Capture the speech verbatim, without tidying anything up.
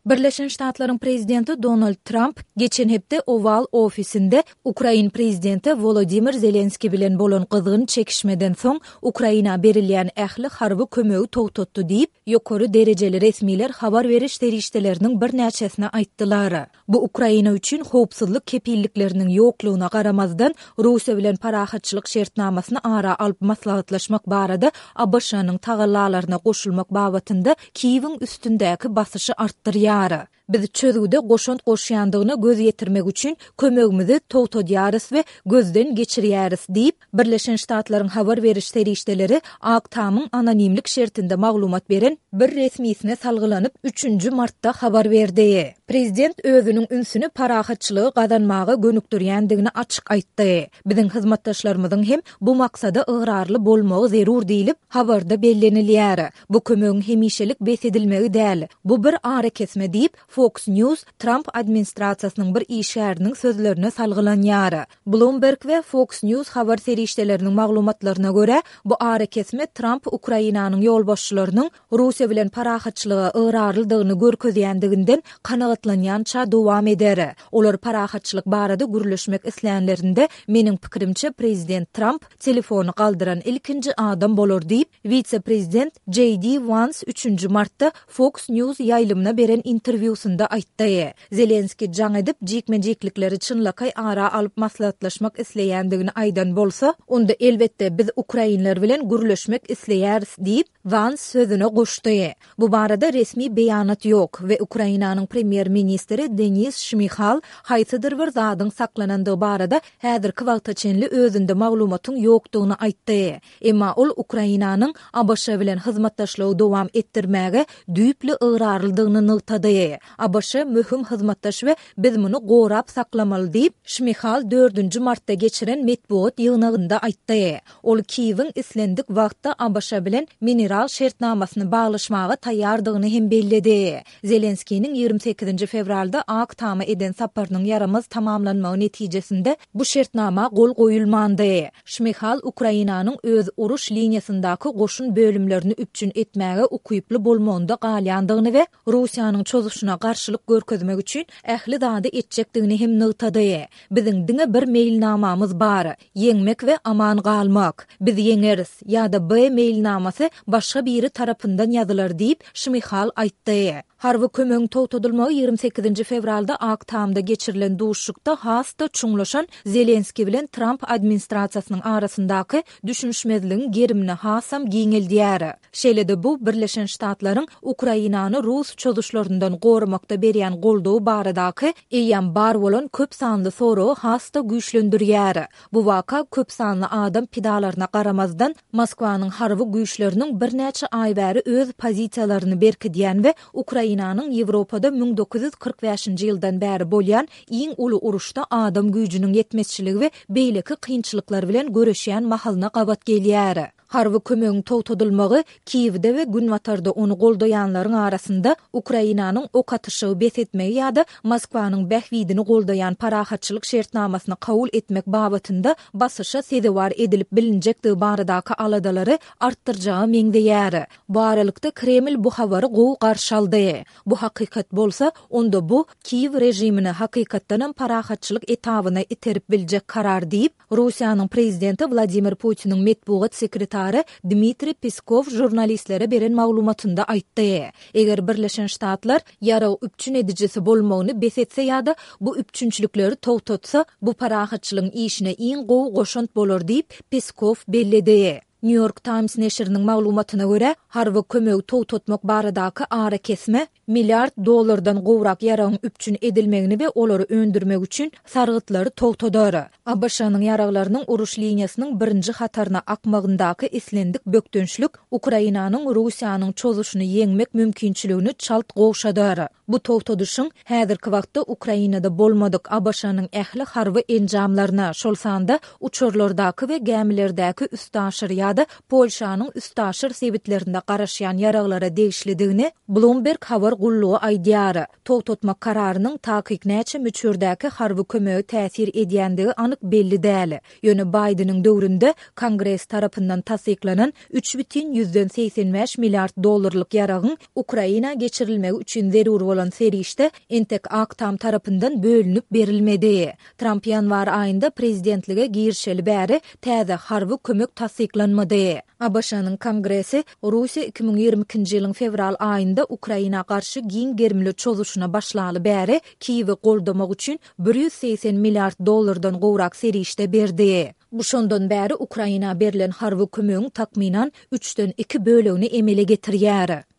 Birleşen Ştatlaryň prezidenti Donald Tramp geçen hepde Oval ofisinde Ukrain prezidenti Wolodymyr Zelenski bilen bolan gyzgyn çekişmeden soň Ukraina berilýän ähli harby kömegi togtatdy diýip, ýokary derejeli resmiler habar beriş serişdeleriniň birnäçesine aýtdylar. Bu Ukraina üçin howpsuzlyk kepillikleriniň ýoklugyna garamazdan Russiýa bilen parahatçylyk şertnamasyny ara alyp maslahatlaşmak barada A B Ş-nyň tagallalaryna goşulmak babatynda Kiýewiň üstündäki basyşy artdyrýar. Biz çözgüde goşant goşýandygyna göz ýetirmek üçin kömegimizi togtadýarys we gözden geçirýäris diýip, Birleşen Ştatlaryň habar beriş serişdeleri Ak Tamyň anonimlik şertinde maglumat beren bir resmisine salgylanyp üçünji martda habar berdi. Prezident özüniň ünsüni parahatçylygy gazanmaga gönükdirýändigini açyk aýtdy. Biziň hyzmatdaşlarymyzyň hem bu maksada ygrarly bolmagy zerur diýlip, habarda bellenilýär. Bu kömegiň hemişelik bes edilmegi däl, bu bir arakesme diýip, Fox News Trump administrasiýasynyň bir işgäriniň sözlerine salgylanýar. Bloomberg we Fox News habar serişdeleriniň maglumatlaryna görä, bu arakesme Trump Ukrainanyň ýolbaşçylarynyň Russiýa bilen parahatçylyga ygrarlydygyny görkezýändiginden kanagatlanýança dowam eder. Olar parahatçylyk barada gürleşmek islänlerinde, meniň pikirimçe, prezident Trump telefony galdyran ilkinji adam bolar diýip, wise-prezident J D Vance üçünji martda Fox News ýaýlymyna beren interwýusynda aýtdy. Zelenski jaň edip, jikme-jiklikleri çynlakaý ara alyp maslahatlaşmak isleýändigini aýdan bolsa, onda elbetde biz ukrainler bilen gürleşmek isleýäris diýip, Vance sözüne goşdy. Bu barada resmi beýanat ýok we Ukrainanyň premýer-ministri Denis Şmihal haýsydyr bir zadyň saklanandygy barada häzirki wagta çenli özünde maglumatyň ýokdugyny aýtdy. Emma ol Ukrainanyň A B Ş bilen hyzmatdaşlygy dowam etdirmäge düýpli ygrarlydygyny nygtady. A B Ş möhüm hyzmatdaş we biz muny gorap saklamaly diýip, Şmihal dördünji martda geçiren metbugat ýygnagynda aýtdy. Ol Kiýewiň islendik wagtda A B Ş bilen mineral şertnamasyny baglaşmaga taýýardygyny hem belledi. Zelenskiniň ýigrimi sekizinji fewralda Ak Tama eden saparynyň ýaramaz tamamlanmagy netijesinde bu şertnama gol goýulmandy. Şmihal Ukrainanyň öz uruş liniýasyndaky goşun bölümlerini üpjün etmäge ukyply bolmagynda galýandygyny we Russiýanyň çozuşyna garşylyk görkezmek üçin ähli zady etjekdigini hem nygtady. Biziň diňe bir meýilnamamyz bar: ýeňmek we aman galmak. Biz ýeňeris ýa-da B meýilnamasy başga biri tarapyndan ýazylar diýip, Şmihal aýtdy. Harby kömegiň togtadylmagy ýigrimi sekizinji fewralda Ak Tamda geçirilen duşuşykda has-da çuňlaşan Zelenski bilen Trump administrasiýasynyň arasyndaky düşünişmezligiň gerimini hasam giňeldýär. Şeýle-de bu Birleşen Ştatlaryň Ukrainany rus çozuşlaryndan goramakda berýän goldawy baradaky eýýäm bar bolan köp sanly soragy has-da güýçlendirýär. Bu waka köp sanly adam pidalaryna garamazdan Moskwanyň harby güýçleriniň birnäçe aý bäri öz pozisiýalaryny berkidýän we Ukrainanyň Ýewropada müň dokuz ýüz kyrk bäşinji ýyldan bäri bolýan iň uly uruşda adam güýjüniň ýetmezçiligi we beýleki kynçylyklar bilen göreşýän mahalyna gabat gelýär. Harby kömegiň togtadylmagy Kiýewde we Günbatarda ony goldaýanlaryň arasynda Ukrainanyň ok atyşygy bes etmegi ýa-da Moskwanyň bähbidini goldaýan parahatçylyk şertnamasyny kabul etmek babatynda basyşa sezewar edilip bilinjekdigi baradaky aladalary artdyrjaga meňzeýär. Bu aralykda Kreml bu habary gowy garşy aldy. Bu hakykat bolsa, onda bu Kiýew režimini hakykatdanam parahatçylyk etabyna iterip biljek karar diýip, Russiýanyň prezidenti Wladimir Putiniň metbugat sekretary Dmitriý Peskow žurnalistlere beren maglumatynda aýtdy. Eger Birleşen Ştatlar ýarag üpjün edijisi bolmagyny bes etse ýa-da bu üpjünçilikleri togtatsa, bu parahatçylygyň işine iň gowy goşant bolar diýip, Peskow belledi. New York Times neşiriniň maglumatyna görä, harby kömegi togtatmak baradaky arakesme milliard dollardan gowrak ýaragyň üpjün edilmegini we olary öndürmek üçin sargytlary togtadar. A B Ş-nyň ýaraglarynyň uruş liniýasynyň birinji hataryna akmagyndaky islendik bökdençlik Ukrainanyň Russiýanyň çozuşyny ýeňmek mümkinçiligini çalt gowşadar. Bu togtadyşyň häzirki wagtda Ukrainada bolmadyk A B Ş-nyň ähli harby enjamlaryna, şol sanda uçarlardaky we gämilerdäki üstaşyr ýarag ýa-da Polşanyň üstaşyr sebitlerinde garaşýan ýaraglara degişlidigini Bloomberg habar gullugy aýdýar. Togtatmak kararynyň takyk näçe möçberdäki harby kömege täsir edýändigi anyk belli däl. Ýöne Baýdeniň döwründe Kongres tarapyndan tassyklanan üç bütin ýüzden segsen bäş milliard dollarlyk ýaragyň Ukraina geçirilmegi üçin zerur bolan serişde entek Ak Tam tarapyndan bölünip berilmedi. Tramp ýanwar aýynda prezidentlige girişeli bäri täze harby kömek tassyklanmady. ABŞ-nyň Kongresi Russiýa iki müň ýigrimi ikinji ýylyň fewral aýynda Ukraina garşy giň gerimli çozuşyna başlaly bäri Kiýewi goldamak üçin bir ýüz segsen milliard dollardan gowrak serişde berdi. Bu şondan bäri Ukraina berlen harby kömegiň takmynan üçden iki bölegini emele getirýär.